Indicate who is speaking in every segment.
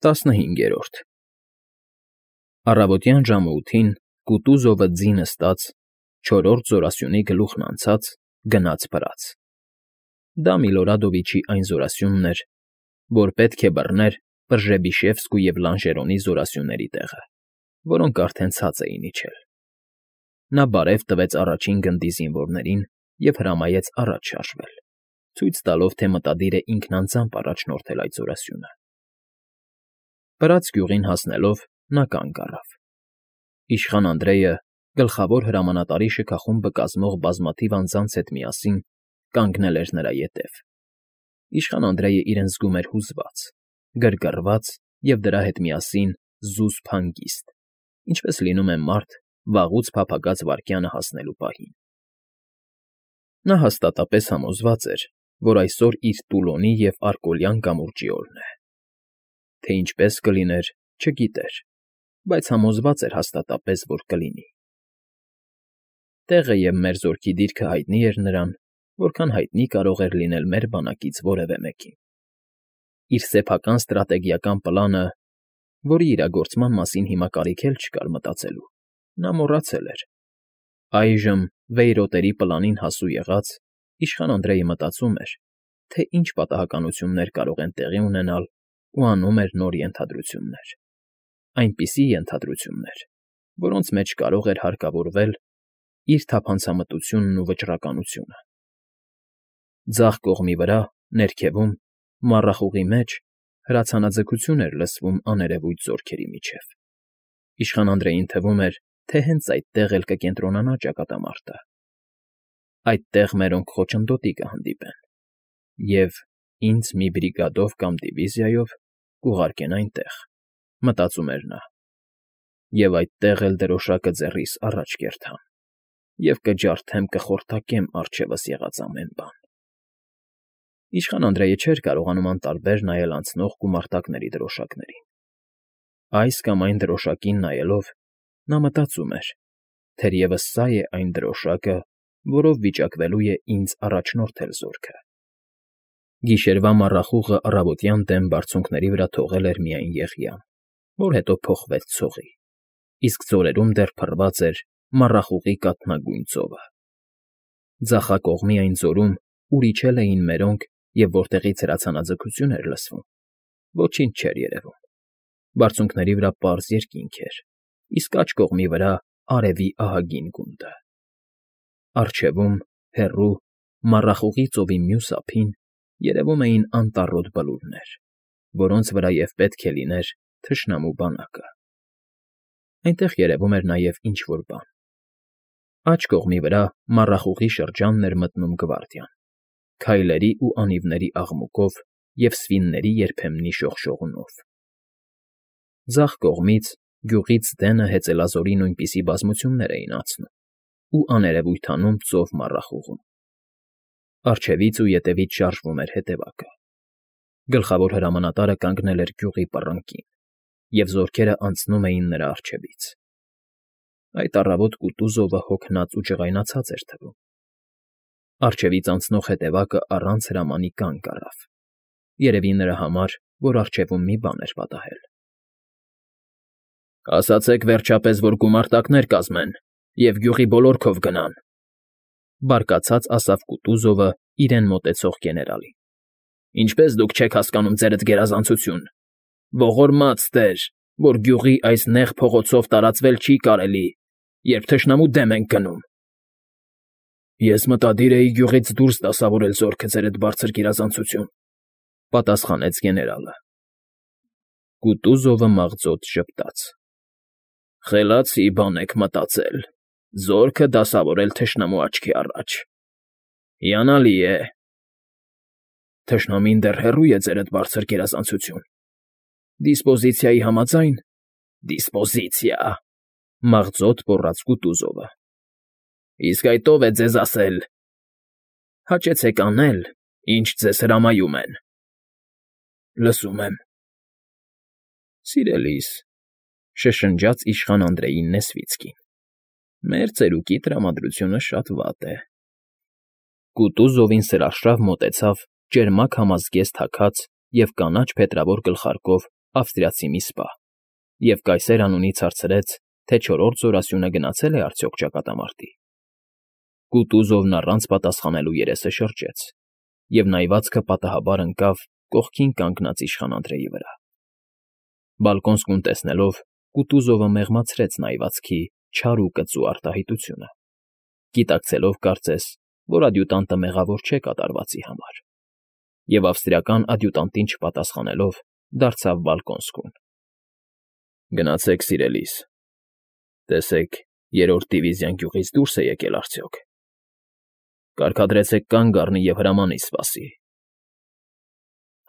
Speaker 1: 15 Առավոտյան ժամը 8-ին Կուտուզովը ձի նստած, չորրորդ զորասյունի գլուխն անցած, գնաց վրաց. դա Միլորադովիչի այն զորասյունն էր, որ պետք է բռներ Պրժեբիշևսկու և Լանժերոնի զորասյուների տեղը, որոնք արդեն ցած էին իջել. նա բարև տվեց առաջին գնդի զինվորներին և հրամայեց առաջ շարժվել, ցույց տալով, թե մտադիր է ինքն անձամբ առաջնորդել այդ զորասյունը։ Վրաց գյուղին հասնելով նա կանգ առավ։ Իշխան Անդրեյը, գլխավոր հրամանատարի շքախումբը կազմող բազմաթիվ անձանց հետ միասին, կանգնել էր նրա ետև։ Իշխան Անդրեյը իրեն զգում էր հուզված, գրգռված և դրա հետ միասին զուսպ հանգիստ, ինչպես լինում է մարդ վաղուց փափագած վայրկյանը հասնելու պահին։ Նա հաստատապես համոզված էր, որ այսօր իր Տուլոնի և Արկոլյան կամուրջի օրն է։ Թե ինչպես կլիներ, չգիտեր, բայց համոզված էր հաստատապես, որ կլինի։ Տեղը և մեր զորքի դիրքը հայտնի էր նրան, որքան հայտնի կարող էր լինել մեր բանակից որևէ մեկին։ Իր սեփական ստրատեգիական պլանը, որի իրագործման մասին հիմա կարիք էլ չկար մտածելու, նա մոռացել էր։ Այժմ, վեյրոտերի պլանին հասու եղած, իշխան Անդրեյը մտածում էր, թե ինչ պատահականություններ կարող են տեղի ունենալ ու անում էր նոր ենթադրություններ, այնպիսի ենթադրություններ, որոնց մեջ կարող էր հարկավորվել իր թափանցամտությունն ու վճռականությունը։ Ձախ կողմի վրա, ներքևում, մառախուղի մեջ հրացանաձգություն էր լսվում աներևույթ զորքերի միջև։ Իշխան Անդրեյին թվում էր, թե հենց այդտեղ էլ կկենտրոնանա ճակատամարտը։ Այդտեղ մերոնք խոչընդոտի կհանդիպեն և ինձ մի բրիգադով կամ դիվիզիայով կուղարկեն այնտեղ, մտածում էր նա, և այդտեղ էլ դրոշակը ձեռիս առաջ կերտամ և կջարդեմ, կխորտակեմ առջևս եղած ամեն բան։ Իշխան Անդրեյը չէր կարողանում անտարբեր նայել անցնող գումարտակների դրոշակներին։ Այս կամ այն դրոշակին նայելով, նա մտածում էր. թերևս սա է այն դրոշակը, որով վիճակվելու է ինձ առաջնորդել զորքը։ Գիշերվա մառախուղը առավոտյան դեմ բարձունքների վրա թողել էր միայն եղյամ, որ հետո փոխվեց ցողի, իսկ ձորերում դեռ փռված էր մառախուղի կաթնագույն ծովը։ Ձախակողմի այն ձորում, ուր իջել էին մերոնք և որտեղից հրացանաձգություն էր լսվում, ոչինչ չէր երևում։ Բարձունքների վրա պարզ երկինք էր, իսկ աջ կողմի վրա արևի ահագին գունդը։ Առջևում, հեռու, մառախուղի ծովի մյուս ափին երևում էին անտառոտ բլուրներ, որոնց վրայև պետք է լիներ թշնամու բանակը։ Այնտեղ երևում էր նաև ինչ֊որ բան։ Աջ կողմի վրա մառախուղի շրջանն էր մտնում գվարդիան, քայլերի ու անիվների աղմուկով և սվինների երբեմնի շողշողունով։ Ձախ կողմից, գյուղից դենը հեծելազորի նույնպիսի բազմություններ էին անցնում ու աներևույթ անում ծով մառախուղում։ Առջևից ու ետևից շարժվում էր հետևակը։ Գլխավոր հրամանատարը կանգնել էր գյուղի պռնկին, և զորքերը անցնում էին նրա առջևից։ Այդ առավոտ Կուտուզովը հոգնած ու ջղայնացած էր թվում։ Առջևից անցնող հետևակը առանց հրամանի կանգ առավ, երևի նրա համար, որ առջևում մի բան էր պատահել։ «Ասացեք, վերջապես, որ գումարտակներ կազմեն և գյուղի բոլոր քով գնան», բարկացած ասավ Կուտուզովը իրեն մոտեցող գեներալին։ «Ինչպես դուք չեք հասկանում ձերդ գերազանցություն, ողորմած տեր, որ գյուղի այս նեղ փողոցով տարածվել չի կարելի, երբ թշնամու դեմ ենք գնում»։ «Ես մտադիր էի գյուղից դուրս դասավորել զորքը, ձերդ բարձր գերազանցություն», պատասխանեց գեներալը։ Կուտուզովը մաղձոտ ժպտաց։ «Խելացի բան եք մտածել, զորքը դասավորել թշնամու աչքի առաջ։ Հիանալի է։ Թշնամին դեռ հեռու է, ձերդ բարձր գերազանցություն։ Դիսպոզիցիայի համաձայն՝ դիսպոզիցիա, մաղձոտ պոռաց Կուտուզովը։ Իսկ այդ ով է ձեզ ասել։ Հաճեցեք անել, ինչ ձեզ հրամայում են։ Լսում եմ։ Սիրելիս, շշնջաց իշխան Անդրեյի Նեսվիցկին, մեր ծերուկի տրամադրությունը շատ վատ է։ Կուտուզովին սրաշավ մոտեցավ ճերմակ համազգեստ հագած և կանաչ փետրավոր գլխարկով ավստրիացի մի սպա, և կայսեր անունից հարցրեց, թե չորրորդ զորասյունը գնացե՞լ է արդյոք ճակատամարտի։ Կուտուզովն առանց պատասխանելու երեսը շրջեց, և նայվածքը պատահաբար ընկավ կողքին կանգնած իշխան Անդրեի վրա։ Բալկոնսկուն տեսնելով, Կուտուզովը մեղմացրեց նայվածքի չար ու կծու արտահայտությունը, գիտակցելով կարծես, որ ադյուտանտը մեղավոր չէ կատարվածի համար, և ավստրիական ադյուտանտին չպատասխանելով, դարձավ Բալկոնսկուն։ Գնացեք, սիրելիս, տեսեք, երրորդ դիվիզիան գյուղից դուրս է եկել արդյոք։ Կարգադրեցեք կանգ առնի և հրամանի սպասի։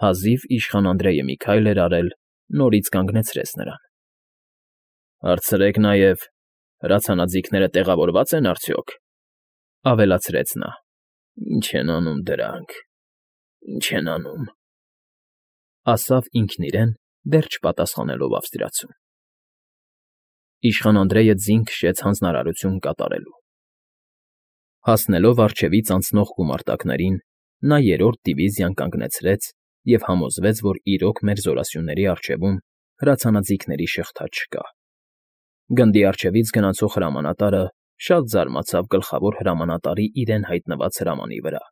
Speaker 1: Հազիվ իշխան Անդրեյը մի քայլ էր արել, նորից կանգնեցրեց նրան։ Հարցրեք նաև, հրացանաձիգները տեղավորվա՞ծ են արդյոք, ավելացրեց նա։ Ինչ են անում դրանք, ինչ են անում, ասավ ինքն իրեն, դեռ չպատասխանելով ավստրիացուն։ Իշխան Անդրեյը ձին քշեց հանձնարարություն կատարելու։ Հասնելով առջևից անցնող գումարտակներին, նա երրորդ դիվիզիան կանգնեցրեց և համոզվեց, որ իրոք մեր զորասյունների առջևում հրացանաձիգների շղթա չկա։ Գնդի առջևից գնացող հրամանատարը շատ զարմացավ գլխավոր հրամանատարի իրեն հայտնված հրամանի վրա,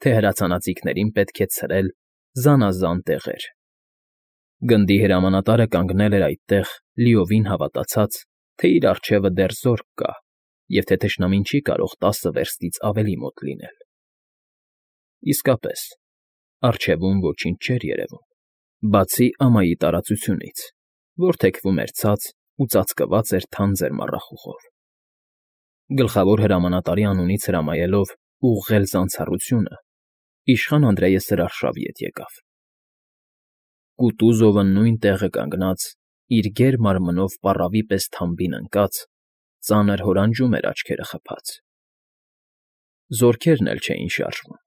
Speaker 1: թե հրացանաձիգներին պետք է ցրել զանազան տեղեր։ Գնդի հրամանատարը կանգնել էր այդտեղ, լիովին հավատացած, թե իր առջևը դեռ զորք կա, և թե թշնամին չի կարող 10 վերստից ավելի մոտ լինել։ Իսկապես, առջևում ոչինչ չէր երևում, բացի ամայի տարածությունից, որ թեքվում էր ցած ու ծածկված էր թանձր մառախուղով։ Գլխավոր հրամանատարի անունից հրամայելով ուղղել զանցառությունը, իշխան Անդրեյը սրարշավ ետ եկավ։ Կուտուզովը նույն տեղը կանգնած, իր գեր մարմնով պառավի պես թամբին ընկած, ծանր հորանջում էր աչքերը խփած։ Զորքերն էլ չէին շարժվում,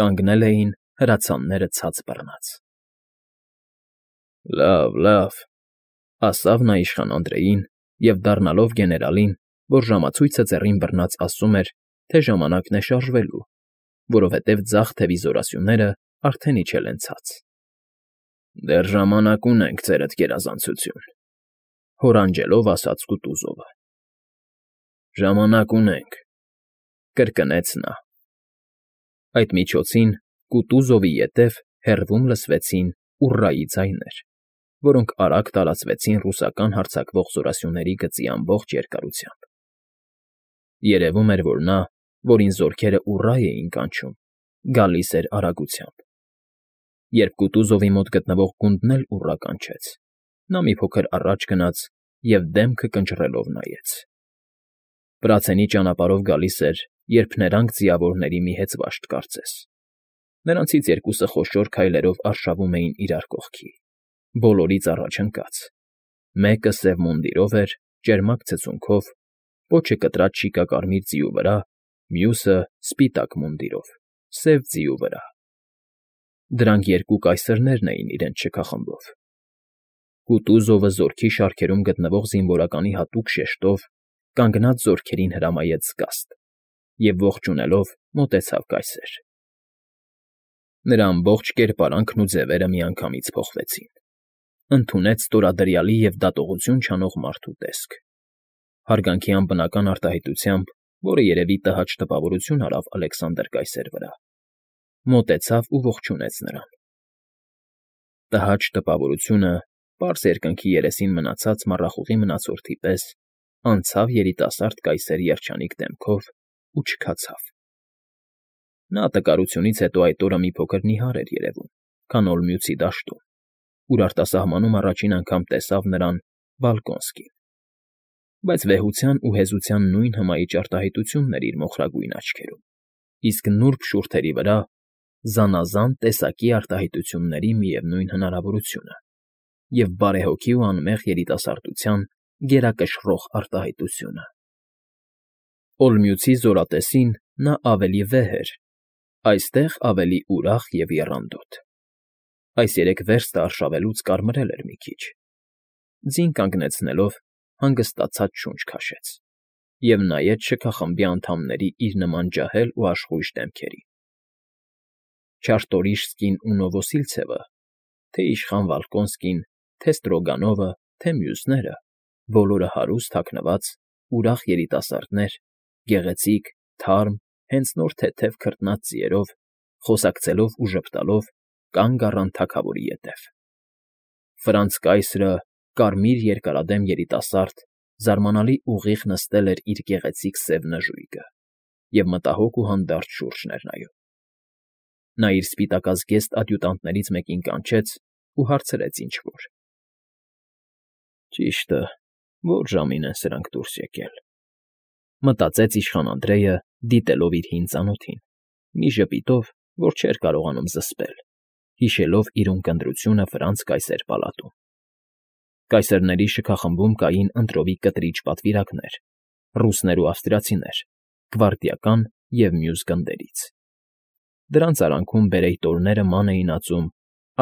Speaker 1: կանգնել էին հրացանները ցած բռնած։ Լավ, ասավ նա իշխան Անդրեյին և դառնալով գեներալին, որ ժամացույցը ձեռին բռնած ասում էր, թե ժամանակն է շարժվելու, որովհետև ձախ թևի զորասյունները արդեն իջել են ցած։ Դեռ ժամանակ ունենք, ձերդ գերազանցություն, հորանջելով ասաց Կուտուզովը։ Ժամանակ ունենք, կրկնեց նա։ Այդ միջոցին Կուտուզովի ետև հեռվում լսվեցին ուռայի ձայներ, որոնք արագ տարածվեցին ռուսական հարձակվող զորասյուների գծի ամբողջ երկարությամբ։ Երևում էր, որ նա, որին զորքերը ուռա էին կանչում, գալիս էր արագությամբ։ Երբ Կուտուզովի մոտ գտնվող գունդն էլ ուռա կանչեց, նա մի փոքր առաջ գնաց և դեմքը կնճռելով նայեց։ Պրացենի ճանապարհով գալիս էր, երբ նրանք ձիավորների մի հեծվաշտ կարծես։ Նրանցից երկուսը խոշոր քայլերով արշավում էին իրար կողքի, բոլորից առաջ ընկած։ Մեկը սև մունդիրով էր, ճերմակ ցցունքով, պոչը կտրած շիկակարմիր ձիու վրա, մյուսը՝ սպիտակ մունդիրով, սև ձիու վրա։ Դրանք երկու կայսրներն էին իրենց շքախմբով։ Կուտուզովը զորքի շարքերում գտնվող զինվորականի հատուկ շեշտով կանգնած զորքերին հրամայեց զգաստ և ողջունելով մոտեցավ կայսեր։ Նրա ամբողջ կերպարանքն ու ձևերը միանգամից փոխվեցին։ Ընդունեց ստորադրյալի և դատողություն չանող մարդու տեսք։ Հարգանքի անբնական արտահայտությամբ, որը երևի տհաճ տպավորություն արավ Ալեքսանդր կայսեր վրա, մոտեցավ ու ողջունեց նրան։ Տհաճ տպավորությունը, պարզ երկնքի երեսին մնացած մառախուղի մնացորդի պես, անցավ երիտասարդ կայսերի երջանիկ դեմքով ու չքացավ։ Նա տկարությունից հետո այդ օրը մի փոքր նիհար էր երևում, քան Օլմյուցի դաշտում, ուր արտասահմանում առաջին անգամ տեսավ նրան Բալկոնսկին, բայց վեհության ու հեզության նույն հմայիչ արտահայտությունն էր իր մոխրագույն աչքերում, իսկ նուրբ շուրթերի վրա զանազան տեսակի արտահայտությունների միևնույն հնարավորությունը և բարեհոգի ու անմեղ երիտասարդության գերակշռող արտահայտությունը։ Օլմյուցի զորատեսին նա ավելի վեհ էր, այստեղ ավելի ուրախ և եռանդոտ։ Այս 3 վերստը արշավելուց կարմրել էր մի քիչ։ Ձին կանգնեցնելով հանգստացած շունչ քաշեց և նայեց շքախմբի անդամների իր նման ջահել ու աշխույժ դեմքերին։ Չարտորիշսկին ու Նովոսիլցևը թե իշխան Վոլկոնսկին, թե Ստրոգանովը, թե մյուսները, բոլորը հարուստ հագնված, ուրախ երիտասարդներ, գեղեցիկ, թարմ, հենց նոր թեթև քրտնած ձիերով, խոսակցելով ու ժպտալով կանգ առան թագավորի ետև։ Ֆրանց կայսրը, կարմիր երկարադեմ երիտասարդ, զարմանալի ուղիղ նստել էր իր գեղեցիկ սև նժույգը և մտահոգ ու հանդարտ շուրջն էր նայում։ Նա իր սպիտակազգեստ ադյուտանտներից մեկին կանչեց ու հարցրեց ինչ֊որ։ «Ճիշտը, ո՞ր ժամին են սրանք դուրս եկել», մտածեց իշխան Անդրեյը, դիտելով իր հին ծանոթին, մի ժպիտով, որ չէր կարողանում զսպել, հիշելով իր ունկնդրությունը Ֆրանց կայսեր պալատում։ Կայսերների շքախմբում կային ընտրովի կտրիչ պատվիրակներ, ռուսներ ու ավստրիացիներ, գվարդիական և մյուս գնդերից։ Դրանց արանքում բերեյտորները ման էին ածում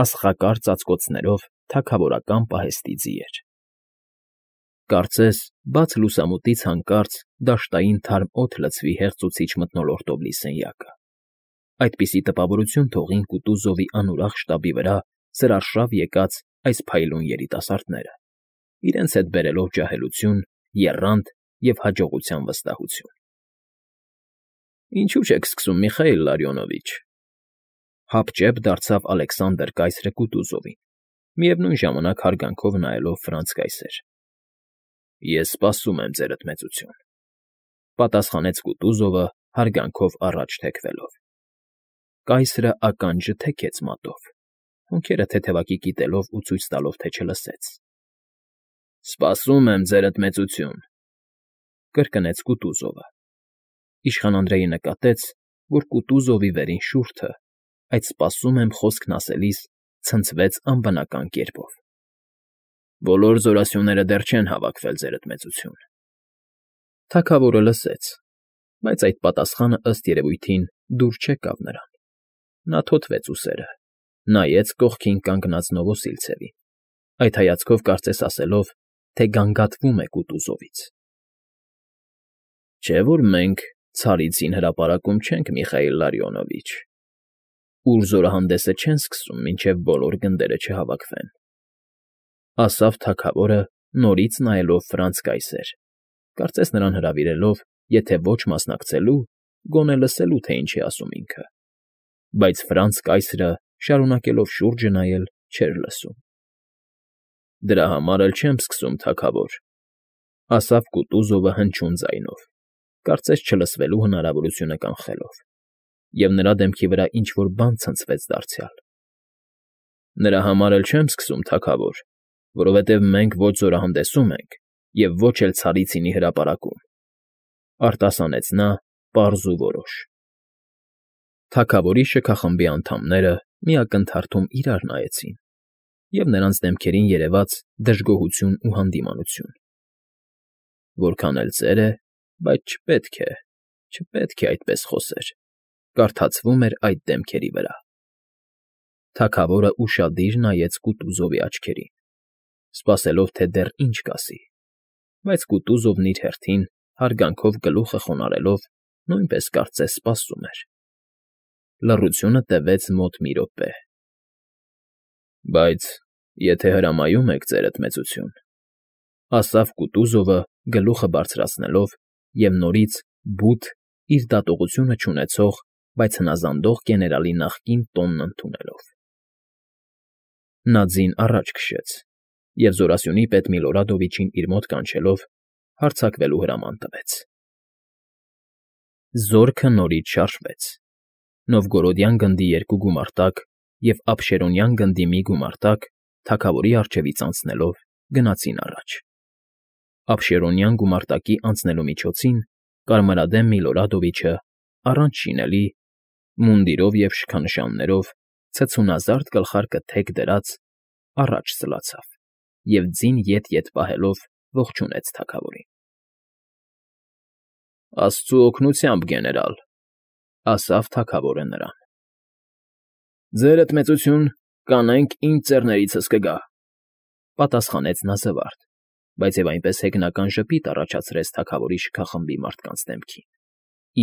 Speaker 1: աստղակար ծածկոցներով թագավորական պահեստի ձիեր։ Կարծես, բաց լուսամուտից հանկարծ դաշտային թարմ օդ լցվի հեղձուցիչ մթնոլորտով լի սենյակը։ Այդպիսի տպավորություն թողին Կուտուզովի անուրախ շտաբի վրա սրարշավ եկած այս փայլուն երիտասարդները, իրենց հետ բերելով ջահելություն, եռանդ և հաջողության վստահություն։ «Ինչու չեք սկսում, Միխայիլ Լարիոնովիչ», հապճեպ դարձավ Ալեքսանդր կայսրը Կուտուզովին, միևնույն ժամանակ հարգանքով նայելով Ֆրանց կայսեր։ «Ես սպասում եմ, ձերդ մեծություն», պատասխանեց Կուտուզովը հարգանքով առաջ թեքվելով։ Կայսրը ականջը թեքեց մատով, հոնքերը թեթևակի կիտելով ու ցույց տալով, թե չլսեց։ «Սպասում եմ, ձերդ մեծություն», կրկնեց Կուտուզովը։ Իշխան Անդրեյը նկատեց, որ Կուտուզովի վերին շուրթը, այդ «սպասում եմ» խոսքն ասելիս ցնցվեց անբնական կերպով։ «Բոլոր զորասյուները դեռ չեն հավաքվել, ձերդ մեծություն»։ Թագավորը լսեց, բայց այդ պատասխանը, ըստ երևույթին, դուր չեկավ նրան։ Նա թոթվեց ուսերը, նայեց կողքին կանգնած Նովոսիլցևին, այդ հայացքով կարծես ասելով, թե գանգատվում է Կուտուզովից։ «Չէ՞ որ մենք Ցարիցին հրապարակում չենք, Միխայիլ Լարիոնովիչ, ուր զորահանդեսը չեն սկսում, մինչև բոլոր գնդերը չհավաքվեն», ասավ թագավորը, նորից նայելով Ֆրանց կայսեր, կարծես նրան հրավիրելով, եթե ոչ մասնակցելու, գոնե լսելու, թե ինչ է ասում ինքը, բայց Ֆրանց կայսրը, շարունակելով շուրջը նայել, չէր լսում։ «Դրա համար էլ չեմ սկսում, թագավոր», ասավ Կուտուզովը հնչյուն ձայնով, կարծես չլսվելու հնարավորությունը կանխելով, և նրա դեմքի վրա ինչ֊որ բան ցնցվեց դարձյալ։ «Նրա համար էլ չեմ սկսում, թագավոր, որովհետև մենք ոչ զորահանդեսում ենք և ոչ էլ Ցարիցինի հրապարակում», արտասանեց նա պարզ ու որոշ։ Թագավորի շքախմբի անդամները մի ակնթարթում իրար նայեցին, և նրանց դեմքերին երևաց դժգոհություն ու հանդիմանություն։ «Որքան էլ ծեր է, բայց չպետք է այդպես խոսեր», կարդացվում էր այդ դեմքերի վրա։ Թագավորը ուշադիր նայեց Կուտուզովի աչքերին, սպասելով, թե դեռ ինչ կասի, բայց Կուտուզովն իր հերթին, հարգանքով գլուխը խոնարհելով, նույնպես կարծես սպասում էր։ Լռությունը տևեց մոտ մի րոպե։ «Բայց եթե հրամայում եք, ձերդ մեծություն», ասավ Կուտուզովը, գլուխը բարձրացնելով և նորից բութ, իր դատողությունը չունեցող, բայց հնազանդող գեներալի նախկին տոնն ընդունելով։ Նա ձին առաջ քշեց և զորասյունի պետ Միլորադովիչին իր մոտ կանչելով հարձակվելու հրաման տվեց։ Զորքը նորից շարժվեց։ Նովգորոդյան գնդի 2 գումարտակ և Աբշերոնյան գնդի մի գումարտակ, թագավորի առջևից անցնելով, գնացին առաջ։ Աբշերոնյան գումարտակի անցնելու միջոցին կարմրադեմ Միլորադովիչը, առանց շինելի, մունդիրով և շքանշաններով, ցցունազարդ գլխարկը թեք դրած, առաջ սլացավ և ձին ետ֊ետ պահելով ողջունեց թագավորին։ «Աստծու օգնությամբ, գեներալ», ասավ թագավորը նրան։ «Ձերդ մեծություն, կանենք ինչ ձեռներիցս կգա», պատասխանեց նա զվարթ, բայց և այնպես հեգնական ժպիտ առաջացրեց թագավորի շքախմբի մարդկանց դեմքին,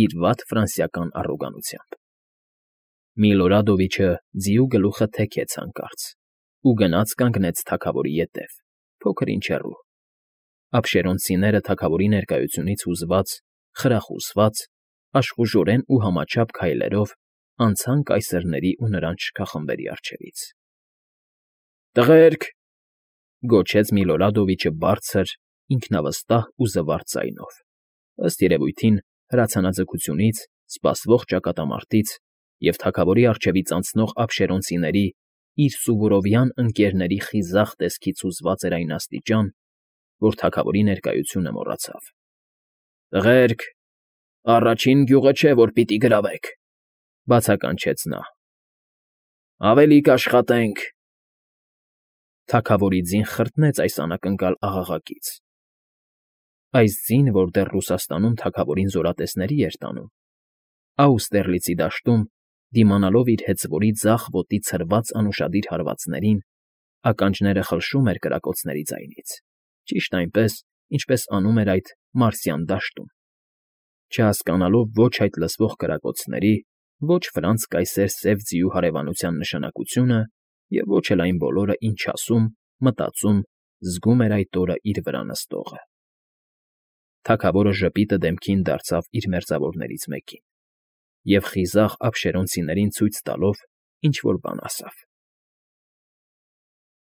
Speaker 1: իր վատ ֆրանսիական առոգանությամբ։ Միլորադովիչը ձիու գլուխը թեքեց հանկարծ ու գնաց կանգնեց թագավորի ետև, փոքր-ինչ հեռու։ Ափշերոնցիները թագավորի ներկայությունից հուզված, խրախուսված, աշխուժորեն ու համաչափ քայլերով անցան կայսրների ու նրանց շքախմբերի առջևից։ «Տղերք,֊ գոչեց Միլորադովիչը բարձր, ինքնավստահ ու զվարթ ձայնով, ըստ երևույթին հրացանաձգությունից, սպասվող ճակատամարտից և թագավորի առջևից անցնող ափշերոնցիների իր սուվորովյան ընկերների խիզախ տեսքից հուզված էր այն աստիճան, որ թագավորի ներկայությունը մոռացավ։ «Տղերք, առաջին գյուղը չէ, որ պիտի գրավեք,֊ բացականչեց նա։ Ավելի կաշխատենք…»։ Թագավորի ձին խրտնեց այս անակնկալ աղաղակից։ Այս ձին, որ դեռ Ռուսաստանում թագավորին զորատեսների էր տանում, Աուստերլիցի դաշտում, դիմանալով իր հեծվորի ձախ ոտի ցրված անուշադիր հարվածներին, ականջները խլշում էր կրակոցների ձայնից, ճիշտ այնպես, ինչպես անում էր այդ Մարսյան դաշտում, չհասկանալով ոչ այդ լսվող կրակոցների, ոչ Ֆրանց կայսեր սև ձիու հարևանության նշանակությունը և ոչ էլ այն բոլորը, ինչ ասում, մտածում, զգում էր այդ օրը իր վրա նստողը։ Թագավորը ժպիտը դեմքին դարձավ իր մերձավորներից մեկին և խիզախ ափշերոնցիներին ցույց տալով ինչ֊որ բան ասավ։